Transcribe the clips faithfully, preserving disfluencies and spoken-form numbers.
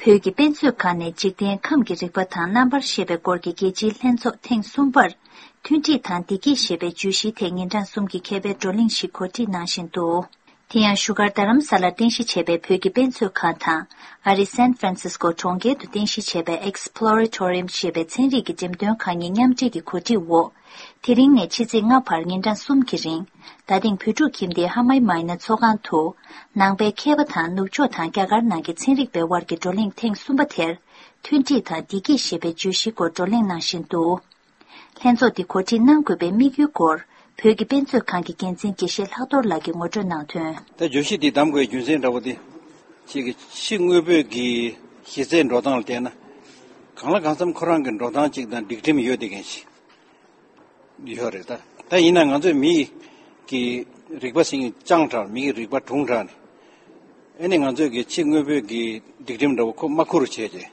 བོད་ཀྱི་དཔེ་མཛོད་ཁང་ནས་འཇིག་རྟེན་ཁམས་ཀྱི་རིག་པ་དང་རྣམ་པར་ཤེས་པའི་སྐོར་གྱི་རྒྱལ་སྤྱིའི་ལྷན་ཚོགས་ཐེངས་གསུམ་པར། མཐུན་སྒྲིག་དང་བདེ་སྐྱིད་ཞེས་པའི་བརྗོད་གཞིའི་ཐད་ཉིན་གྲངས་གསུམ་གྱི་མཁས་པའི་བགྲོ་གླེང་ཞིག་གོ་སྒྲིག་གནང་བཞིན་འདུག་དེ་ཡང་བཞུགས་སྒར་རྡ་རམ་ས་ལར་རྟེན་གཞི་བྱས་པའི་བོད་ཀྱི་དཔེ་མཛོད་ཁང་དང་། ཨ་རིའི་སན་ཧྥ་རན་སིས་ཀོ་གྲོང་ཁྱེར་དུ་རྟེན་གཞི་བྱས་པའི་Exploratorium ཞེས་པའི་ཚན་རིག་གི་འགྲེམས་སྟོན་ཁང་གཉིས་མཉམ་འབྲེལ་གྱི་གོ་སྒྲིག་འོག་དེ་རིང་ནས་ཕྱི་ཚེས་ལྔ་བར་ཉིན་གྲངས་གསུམ་གྱི་རིང་། རྡ་སྟེང་བོད་ཕྲུག་ཁྱིམ་སྡེའི་ཧ་མའི་མའི་ན་ཚོགས་ཁང་དུ། ནང་པའི་མཁས་པ་དང་ནུབ་ཕྱོགས་དང་རྒྱ་གར་ནང་གི་ཚན་རིག་པའི་དབར་གྱི་བགྲོ་གླེང་ཐེངས་གསུམ་པ་དེར། མཐུན་སྒྲིལ་དང་བདེ་སྐྱིད་ཞེས་པའི་བརྗོད་གཞིའི་སྐོར་བགྲོ་གླེང་གནང་བཞིན་འདུག་ལྷན་ཚོགས་འདི་གོ་སྒྲིག་གནང་དགོས་པའི་དམིགས་ཡུལ་སྐོར། བོད་ཀྱི་དཔེ་མཛོད་ཁང་གི་འགན་འཛིན་དགེ་བཤེས་ལྷག་རྡོར་ལགས་ཀྱིས་ངོ་སྤྲོད་གནང་དོན། ད་བརྗོད་གཞི་འདི་བདམས་དགོས་རྒྱུ་མཚན་འདྲ་བོ་དེ། ཅིག་གི་ཕྱི་དངོས་པོའི་གི་གཞི་རྩའི་འགྲོ་སྟངས་ལ་བལྟས་ན། གང་ལ་གང་འཚམ་ཁོ་རང་གི་འགྲོ་སྟངས་གཅིག་དང་སྒྲིག་ཁྲིམས་ཡོད་བསྡད་མཁན་ཞིག་ཡོད་རེད་ད། ད་ཡིན་ན་ང་ཚོས་མི་གི་རིག་པ་ཟིན་བཅངས་དྲགས། མི་གི་རིག་པ་གྲུང་དྲགས་ནས། ཨེ་ནི་ང་ཚོས་གི་ཕྱི་དངོས་པོའི་གི་སྒྲིག་ཁྲིམས་འདྲ་བོ་ཁོ་མ་ཁུར་བྱས་རྗེས།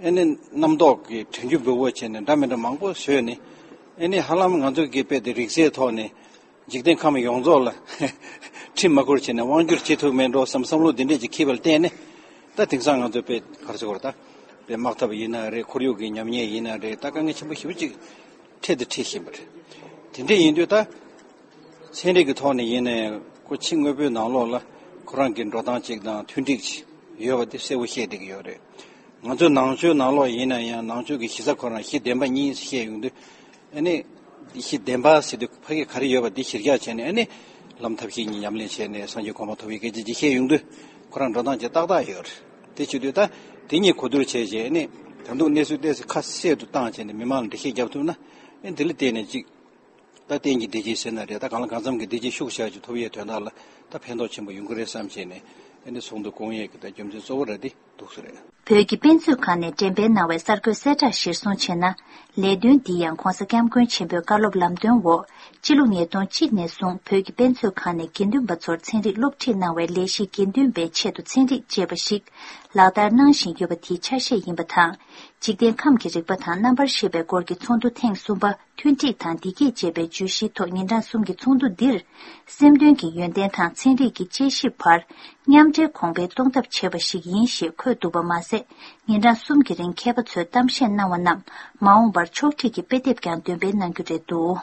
ཨེ་ནི་རྣམ་རྟོག་གི་དྲན་རྒྱུ་འབུལ་བོ་བྱས་ནས་འདྲ་མི་འདྲ་མང་པོ་བཟོས་ནས། ཨེ་ནི་ཧ་ལམ་ང་ཚོ་གི་དཔེ་དེ་རིག་རྩལ་ཐོག་ནས་འཇིག་རྟེན་ཁམས་ཡོངས་རྫོགས་ལ་ཁྲིམས་མ་ཁུར་བྱས་ནས་དབང་སྒྱུར་བྱེད་ཐུབ་མེད་འགྲོ་བསམ་བསམ་བློ་འདི་འདྲས་ཅིག་འཁྱེར་བ་ལ་བརྟེན་ནས། ད་དེང་སང་ང་ཚོ་དཔེ་ག་རེ་ཟེར་དགོས་རེད་ད། དཔེ་དམག་འཐབ་ཡིན་ན་རེད། ཁོར་ཡུག་གི་ཉམས་ཉེས་ཡིན་ན་རེད། ད་དཀའ་ངལ་ཆེན་པོ་ཞེ་པོ་ཅིག་འཕྲད་དང་འཕྲད་བཞིན་པ་རེད། དེ་འདྲས་ཡིན་དུས་ད། ཚན་རིག་གི་ཐོག་ནས་ཡིན་ནའི་ཁོ་ཕྱི་དངོས་པོའི་ནང་ལོགས་ལ་ཁོ་རང་གི་འགྲོ་སྟངས་གཅིག་དང་མཐུན་འགྲིག་ཅིག་ཡོད་པ་དེ་གསལ་པོ་ཤེས་བསྡད་ཀྱི་ཡོད་རེད། ང་ཚོའི་ནང་ཆོས་ནང་ལོགས་ཡིན་ན་ཡང་ནང་ཆོས་ཀྱི་གཞི་རྩ་ཁོ་རང་གཞི་བདེན་པ་གཉིས་བཤད་ཡོང་དུས། ཨ་ནི་གཞི་བདེན་པ་ཟེར་དུས་ཕ་གི་ག་རེ་ཡོད་པ་དེ་གཞིར་བཞག་བྱས་ནས། ཨ་ནི་ལམ་ཐབས་ཤེས་གཉིས་ཉམས་ལེན་བྱས་ནས་སངས་རྒྱས་གོ་འཕང་ཐོབ་པའི་སྐད་ཆ་ཅིག་བཤད་ཡོང་དུས། ཁོ་རང་འགྲོ་སྟངས་ཅིག་ཏག་ཏག་ཡོད་རེད། དེ་བྱེད་དུས་ད་དེ་གཉིས་གོ་བསྡུར་བྱས་རྗེས། ཨ་ནི་ད་དུང་གནས་ཚུལ་ཏོག་ཙམ་ཁ་གསལ་དུ་བཏང་བྱས་ནས་མི་མང་ལ་འགྲེལ་བཤད་རྒྱབ་ཐུབ་ན། ཨ་ནི་དེ་ལ་བརྟེན་ནས་ཅིག་ད་གཏན་གྱི་བདེ་སྐྱིད་ཟེར་ན་རེད། ད་གང་ལ་གང་འཚམ་གྱི་བདེ་སྐྱིད་ཤུགས་ཆེ་ཅིག་ཐོབ་ཡས་དོན་དག་ལ་ད་ཕན་ཐོགས་ཆེན་པོ་ཡོང་གི་རེད་བསམ་བྱས་ནས། ཨ་ནི་ཚོགས་འདུ་སྐོང་ཡས་ཀྱི་ད་རྒྱུ་མཚན་གཙོ་བོ་ར་འདི་འདུག་ས་རེད། བོད་ཀྱི་དཔེ་མཛོད་ཁང་ནས་འགྲེམས་སྤེལ་གནང་བའི་གསར་འགོད་གསལ་བསྒྲགས་གཞིར་བཟུང་བྱས་ན། ལས་དོན་འདི་ཡང་༧གོང་ས་༧སྐྱབས་མགོན་ཆེན་པོའི་བཀའ་སློབ་ལམ་སྟོན་འོག་སྤྱི་ལོ་ཉིས་སྟོང་གཅིག་ནས་བཟུང་བོད་ཀྱི་དཔེ་མཛོད་ཁང་ནས་དགེ་འདུན་པ་ཚོར་ཚན་རིག་སློབ་ཁྲིད་གནང་བའི་ལས་གཞི་དགེ་འདུན་པའི་ཆེད་དུ་ཚན་རིག་ཅེས་པ་ཞིག་ལག་བསྟར་གནང་བཞིན་ཡོད་པ་དེའི་ཆ་ཤས་ཡིན་པ་དང་། འཇིག་རྟེན་ཁམས་ཀྱི་རིག་པ་དང་རྣམ་པར་ཤེས་པའི་སྐོར་གྱི་ཚོགས་འདུ་ཐེངས་གསུམ་པ། མཐུན་སྒྲིལ་དང་བདེ་སྐྱིད་ཅེས་པའི་བརྗོད་གཞིའི་ཐོག་ཉིན་གྲངས་གསུམ་གྱི་ཚོགས་འདུ་འདིར། སེམས་དོན་གྱི་ཡོན་ཏན་དང་ཚན་རིག་གི་དཔྱད་ཞིབ་བར་མཉམ་འབྲེལ་གོང་འཕེལ་གཏོང་ཐབས་བྱས་པ་ཞིག་ཡིན་ཞེས་འཁོད་འདུག་པ་མ་ཟད། ཉིན་གྲངས་གསུམ་གྱི་རིང་མཁས་པ་ཚོས་གཏམ་བཤད་གནང་བ་རྣམས་མ་འོངས་པར་ཕྱོགས་སྒྲིག་གི་དཔེ་དེབ་ཀྱང་འདོན་སྤེལ་གནང་རྒྱུ་རེད་འདུག་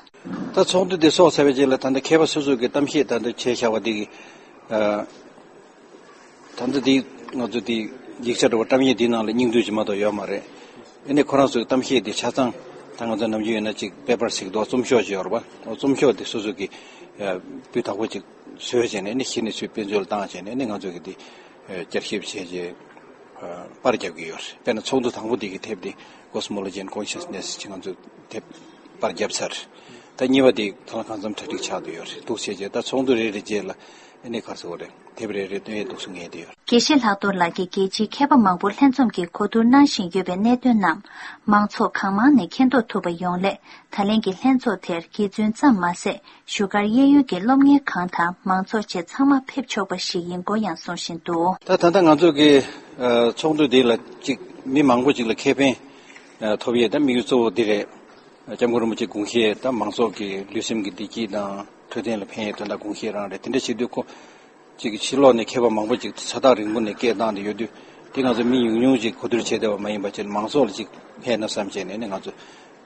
ད་ཚོགས་འདུ་འདི་ཚོགས་ཚར་བའི་རྗེས་ལ་ད་ལྟ་མཁས་པ་སོ་སོ་གི་གཏམ་བཤད་ད་ལྟ་བྱས་བཞག་པ་འདི་གི། ད་ལྟ་འདི་ང་ཚོ་འདི་ཡིག་ཆ་འདྲ་བོ་བཀྲམ་ཡས་འདི་ནང་ལ་སྙིང་བསྡུས་ཅིག་མ་གཏོགས་ཡོད་མ་རེད། ཨ་ནི་ཁོ་རང་ཚོའི་གཏམ་བཤད་འདི་ཆ་ཚང་ད་ང་ཚོ་ནམ་རྒྱུན་ཡོད་ན་ཅིག་པེ་པར་ཞིག་འདུག་རྩོམ་ཤོག་ཅིག་ཡོད་རེད་པ། རྩོམ་ཤོག་འདི་སོ་སོ་གི་སྤུས་དག་པོ་ཅིག་བཟོས་བྱས་ནས། ཨ་ནི་གཞི་ནས་ཚུར་དཔེ་མཛོད་ལ་བཏང་བྱས་ནས། ཨ་ནི་ང་ཚོ་གི་འདི་བསྐྱར་ཞིབ་བྱས་རྗེས་པར་རྒྱབ་ཀྱི་ཡོད་རེད། དཔེར་ན་ཚོགས་འདུ་དང་པོ་འདི་གི་དེབ་འདི་Cosmology and Consciousness ཅིག་ང་ཚོས་དེབ་པར་བརྒྱབ་ཚར། ད་གཉིས་པ་འདི་ད་ལ་གང་འཚམ་གྲ་སྒྲིག་ཆགས་བསྡད་ཡོད་རེད། འདུག་བྱས་རྗེས་ད་ཚོགས་འདུ་རེ་རེ་རྗེས་ལ་ཨ་ནི་ག་རེ་ཟེར་དགོས་རེད། དེབ་རེ་རེ་བཏོན་ཡས་འདུག་སེ་ངེས་བསྡད་ཡོད། དགེ་བཤེས་ལྷག་རྡོར་ལགས་ཀྱིས་རྒྱལ་སྤྱིའི་མཁས་པ་མང་པོ་ལྷན་འཛོམས་ཀྱིས་གོ་བསྡུར་གནང་བཞིན་ཡོད་པའི་གནད་དོན་རྣམས་མང་ཚོགས་གང་མང་ནས་མཁྱེན་རྟོགས་ཐུབ་པ་ཡོང་སླད། ད་ལན་གྱི་ལྷན་ཚོགས་དེར་དགེ་བཙུན་ཙམ་མ་ཟད། བཞུགས་སྒར་གཡས་གཡོན་གྱི་སློབ་གཉེར་ཁང་དང་མང་ཚོགས་བཅས་ཚང་མ་ཕེབས་ཆོག་པ་ཞིག་ཡིན་སྐོར་ཡང་གསུང་བཞིན་འདུག་ད་ད་ལྟ་ང་ཚོ་གི་ཨ་ཚོགས་འདུ་འདི་ལ་ཅིག་མི་མང་པོ་ཅིག་ལ་ཁེ་ཕན་ཨ་ཐོབ་ཡས་ད་དམིགས་ཡུལ་གཙོ་བོ་འདི་རེད། སྐྱབས་མགོན་རིན་པོ་ཆེ་དགོངས་བཞེད་ད་མང་ཚོགས་ཀྱི་ལུས་སེམས་ཀྱི་བདེ་སྐྱིད་དང་འཕྲོད་བསྟེན་ལ་ཕན་ཡས་དོན་དག་དགོངས་བཞེད་རང་རེད། དེ་འདྲ་བྱེད་དུས་ཁོ་ཅིག་ཕྱི་ལོགས་ནས་མཁས་པ་མང་པོ་ཅིག་ས་ཐག་རིང་པོ་ནས་སྐད་བཏང་བསྡད་ཡོད་དུས། དེ་ང་ཚོ་མི་ཉུང་ཉུང་ཅིག་གོ་བསྡུར་བྱས་བསྡད་པ་མ་ཡིན་པ་བྱས་ནས་མང་ཚོགས་ལ་ཅིག་ཕན་ན་བསམ་བྱས་ནས་ནི་ང་ཚོ་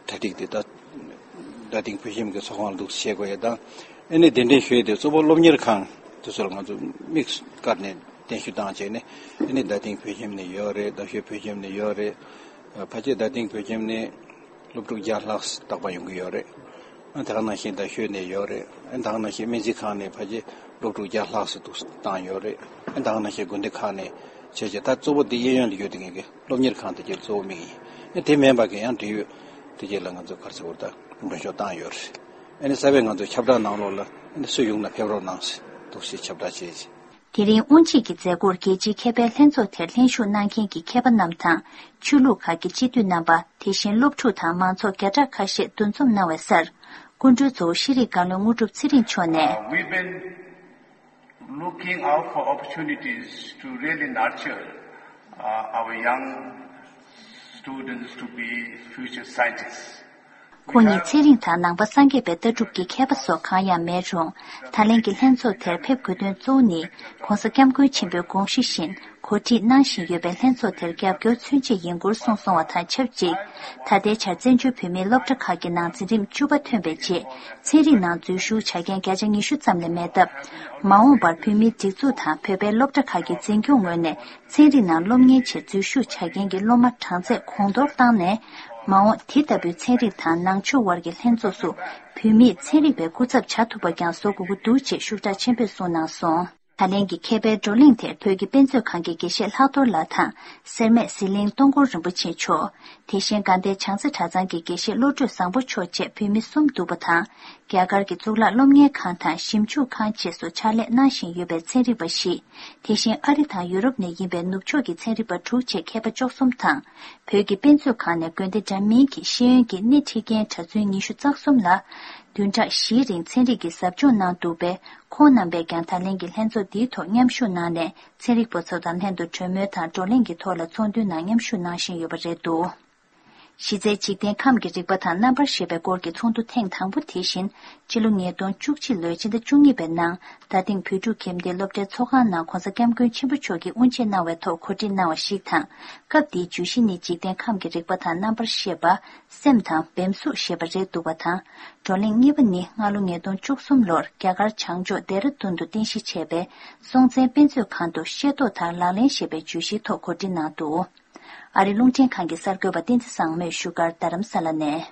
གྲ་སྒྲིག་དེ་ད་རྡ་སྟེང་བོད་ཁྱིམ་གྱི་ཚོགས་ཁང་ལ་འདུག་སེ་བྱེད་དགོས་ཡས་དང་། ཨ་ནི་གདན་འདྲེན་ཞུ་ཡས་དེ་གཙོ་བོ་སློབ་གཉེར་ཁང་དེ་ཚོ་ལ་ང་ཚོ་དམིགས་བཀར་ནས་གདན་ཞུ་བཏང་བྱས་ནས། ཨ་ནི་རྡ་སྟེང་བོད་ཁྱིམ་ནས་ཡོད་རེད། རྡ་ཤོད་བོད་ཁྱིམ་ནས་ཡོད་རེད། ཕལ་ཆེར་རྡ་སྟེང་བོད་ཁྱིམ་ནས་སློབ་ཕྲུག་བརྒྱ་ལྷག་རྟག་པར་ཡོང་གི་ཡོད་རེད། ཨ་ད་ག་ནང་བཞིན་རྡ་ཤོད་ནས་ཡོད་རེད། ཨ་ད་ག་ནང་བཞིན་སྨན་རྩིས་ཁང་ནས་ཕལ་ཆེར་སློབ་ཕྲུག་བརྒྱ་ལྷག་ཙམ་འདུག་བཏང་ཡོད་རེད། ཨ་ད་ག་ནང་བཞིན་དགོན་སྡེ་ཁག་ནས་བྱས་རྗེས་ད་གཙོ་བོ་འདི་གཡས་གཡོན་ལ་ཡོད་དེ་ངེད་ཀྱི་སློབ་གཉེར་ཁང་དེ་གྱད་གཙོ་བོ་དམིགས་ཡིན། ཨ་དེ་མིན་པ་གི་ཡང་འབྲེལ་ཡོད་དེ་གྱད་ལ་ང་ཚོ་ག་རེ་ཟེར་དགོས་རེད། ད་མགྲོན་ཤོག་བཏང་ཡོད་རེད། ཨ་ནི་གསར་པའི་ང་ཚོ་ཁྱབ་བསྒྲགས་ནང་ལོགས་ལ་ཨ་ནི་སུ་ཡོང་ན་ཕེབས་རོགས་གནང་ཟེར་འདུག་སེ་ཁྱབ་བསྒྲགས་བྱས་རྗེས། དེ་རིང་དབུ་འབྱེད་ཀྱི་མཛད་སྒོར་རྒྱལ་སྤྱིའི་མཁས་པའི་ལྷན་ཚོགས་དེར་ལྷན་ཞུགས་གནང་མཁན་གྱི་མཁས་པ་རྣམས་དང་། ཆོས་ལུགས་ཁག་གི་སྤྱི་འཐུས་རྣམ་པ། དེ་བཞིན་སློབ་ཕྲུག་དང་མང་ཚོགས་བརྒྱ་ཕྲག་ཁ་ཤས་འདུ་འཛོམས་གནང་བའི་སར། སྐུ་མགྲོན་གཙོ་བོ་ཤེས་རིག་བཀའ་བློན་དངོས་གྲུབ་ཚེ་རིང་མཆོག་ནས། Uh, we've been looking out for opportunities to really nurture uh, our young students to be future scientists. ཁོང་ཉིད་ཚན་རིག་དང་ནང་པ་སངས་རྒྱས་པའི་ལྟ་གྲུབ་ཀྱི་མཁས་པ་སོགས་གང་ཡང་མེད་རུང་། ད་ལན་གྱི་ལྷན་ཚོགས་དེར་ཕེབས་དགོས་དོན་གཙོ་བོ་ནི། ྋགོང་ས་ྋསྐྱབས་མགོན་ཆེན་པོའི་དགོངས་གཞི་བཞིན་གོ་སྒྲིག་གནང་བཞིན་ཡོད་པའི་ལྷན་ཚོགས་དེར་རྒྱབ་སྐྱོར་མཚོན་ཆེད་ཡིན་སྐོར་གསུངས་སོང་བ་དང་ཆབས་ཅིག་ད་ལྟའི་ཆར་བཙན་བྱོལ་བོད་མིའི་སློབ་གྲྭ་ཁག་གི་ནང་འཛིན་རིམ་བཅུ་པ་ཐོན་པའི་རྗེས། ཚན་རིག་ནང་འཛུལ་ཞུགས་བྱ་མཁན་བརྒྱ་ཆ་ཉི་ཤུ་ཙམ་ལས་མེད་སྟབས། མ་འོངས་པར་བོད་མིའི་སྒྲིག་འཛུགས་དང་བོད་པའི་སློབ་གྲྭ་ཁག་གི་འཛིན་སྐྱོང་ངོས་ནས། ཚན་རིག་ནང་སློབ་གཉེར་ཆེད་འཛུལ་ཞུགས་བྱ་མཁན་གྱི་སློབ་མ་གྲངས་ཚད་གོང་མཐོར་བཏང་ནས། མ་འོངས་དེ་ལྟ་བུའི་ཚན་རིག་དང་ནང་ཆོས་དབར་གྱི་ལྷན་ཚོགས་སུ་བོད་མིས་ཚན་རིག་པའི་སྐུ་ཚབ་བྱ་ཐུབ་པ་ཀྱང་བཟོ་དགོས་ཀྱི་འདུག་ཅེས་ཤུགས་དྲག་ཆེན་པོས་གསུངས་གནང་སོང་། ད་ལན་གྱི་མཁས་པའི་བགྲོ་གླེང་དེར་བོད་ཀྱི་དཔེ་མཛོད་ཁང་གི་དགེ་བཤེས་ལྷག་རྡོར་ལགས་དང་། སེར་སྨད་ཟི་ལིང་སྟོང་འཁོར་རིན་པོ་ཆེ་མཆོག་དེ་བཞིན་དགའ་ལྡན་བྱང་རྩེ་གྲྭ་ཚང་གི་དགེ་བཤེས་བློ་གྲོས་བཟང་པོ་མཆོག་བཅས་བོད་མི་གསུམ་འདུག་པ་དང་། རྒྱ་གར་གྱི་གཙུག་ལག་སློབ་གཉེར་ཁང་དང་ཞིབ་འཇུག་ཁང་བཅས་སུ་ཕྱག་ལས་གནང་བཞིན་ཡོད་པའི་ཚན་རིག་པ་བཞི། དེ་བཞིན་ཨ་རི་དང་ཡུ་རོབ་ནས་ཡིན་པའི་ནུབ་ཕྱོགས་ཀྱི་ཚན་རིག་པ་དྲུག་བཅས་མཁས་པ་བཅུ་གསུམ་དང་། བོད་ཀྱི་དཔེ་མཛོད་ཁང་ནས་དགོན་སྡེ་འདྲ་མིན་གྱི་ཤེས་ཡོན་གྱི་སྣེ་ཁྲིད་མཁན་གྲྭ་བཙུན་ཉི་ཤུ་རྩ་གསུམ་ལ། བདུན་ཕྲག་བཞིའི་རིང་ཚན་རིག་གི་ཟབ་སྦྱོང་གནང་འདུག་པས། ཁོང་རྣམ་པས་ཀྱང་ད་ལན་གྱི་ལྷན་ཚོགས་འདིའི་ཐོག་མཉམ་ཞུགས་གནང་ནས། ཚན་རིག་པ་ཚོ་དང་ལྷན་དུ་གྲོས་མོལ་དང་བགྲོ་གླེང་གི་ཐོག་ལ་ཚོགས་འདུའི་ནང་མཉམ་ཞུགས་གནང་བཞིན་ཡོད་པ་རེད་འདུག་གཞི་རྩའི་འཇིག་རྟེན་ཁམས་ཀྱི་རིག་པ་དང་རྣམ་པར་ཤེས་པའི་སྐོར་གྱི་ཚོགས་འདུ་ཐེངས་དང་པོ་དེ་བཞིན་ཕྱི་ལོ་ཉིས་སྟོང་བཅུ་གཅིག་ལོའི་ཕྱི་ཟླ་བཅུ་གཉིས་པའི་ནང་རྡ་སྟེང་བོད་ཕྲུག་ཁྱིམ་སྡེའི་སློབ་གྲྭའི་ཚོགས་ཁང་ནང་༧གོང་ས་༧སྐྱབས་མགོན་ཆེན་པོ་མཆོག་གིས་དབུ་འབྱེད་གནང་བའི་ཐོག་གོ་སྒྲིག་གནང་བ་ཞིག་དང་། སྐབས་དེའི་བརྗོད་གཞི་ནི་འཇིག་རྟེན་ཁམས་ཀྱི་རིག་པ་དང་རྣམ་པར་ཤེས་པ། སེམས་དང་བེམ་གཟུགས་ཞེས་པ་རེད་འདུག་པ་དང་། བགྲོ་གླེང་གཉིས་པ་ནི་སྔ་ལོ་ཉིས་སྟོང་བཅུ་གསུམ་ལོར་རྒྱ་གར་བྱང་ཕྱོགས་ལྡེ་ར་ལྡུན་དུ་རྟེན་གཞི་བྱས་པའི་སྲོང་བཙན་དཔེ་མཛོད་ཁང་དུ་ཤེས་རྟོགས་དང་ལག་ལེན་ཞེས་པའི་བརྗོད་གཞིའི་ཐོག་གོ་སྒྲིག་གནང་འདུག་ཨ་རི་རླུང་འཕྲིན་ཁང་གི་གསར་འགོད་པ་བསྟན་འཛིན་བཟང་མོས་བཞུགས་སྒར་རྡ་རམ་ས་ལ་ནས།